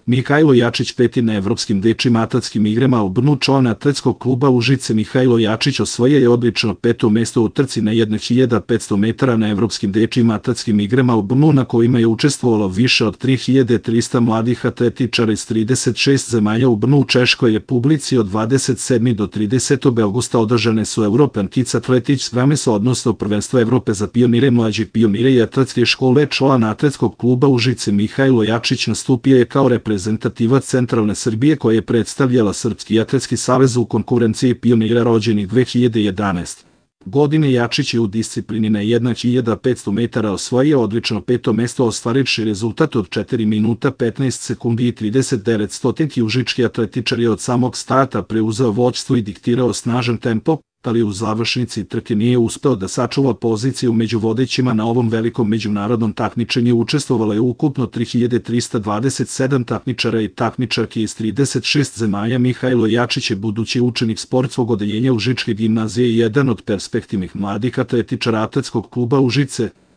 Mihajlo Jačić peti na evropskim dečjim atletskim igrama u Brnu. Član atletskog kluba Užice Mihajlo Jačić osvojio je odlično peto mesto u trci na 1500 metara na evropskim dečjim atletskim igrama u Brnu, na kojima je učestvovalo više od 3300 mladih atletičara iz 36 zemalja. U Brnu u Češkoj Republici od 27. do 30. avgusta održane su European Kids Athletics Games, odnosno prvenstvo Evrope za pionire, mlađe pionire i atletske škole. Član atletskog kluba Užice Mihajlo Jačić nastupio je kao reprezentativac centralne Srbije, koja je predstavljala Srpski atletski savez u konkurenciji pionira rođenih 2011. godine. Jačić je u disciplini na 1500 metara osvojio odlično peto mesto, ostvarivši rezultat od 4 minuta 15 sekundi i 39 stotinki. Užički atletičar je od samog starta preuzeo vođstvo i diktirao snažan tempo, ali u završnici trke nije uspeo da sačuva poziciju među vodećima. Na ovom velikom međunarodnom takmičenju učestvovalo je ukupno 3327 takmičara i takmičarki iz 36 zemalja. Mihajlo Jačić je budući učenik sportskog odeljenja Užičke gimnazije i jedan od perspektivnih mladih atletičara atletskog kluba Užice.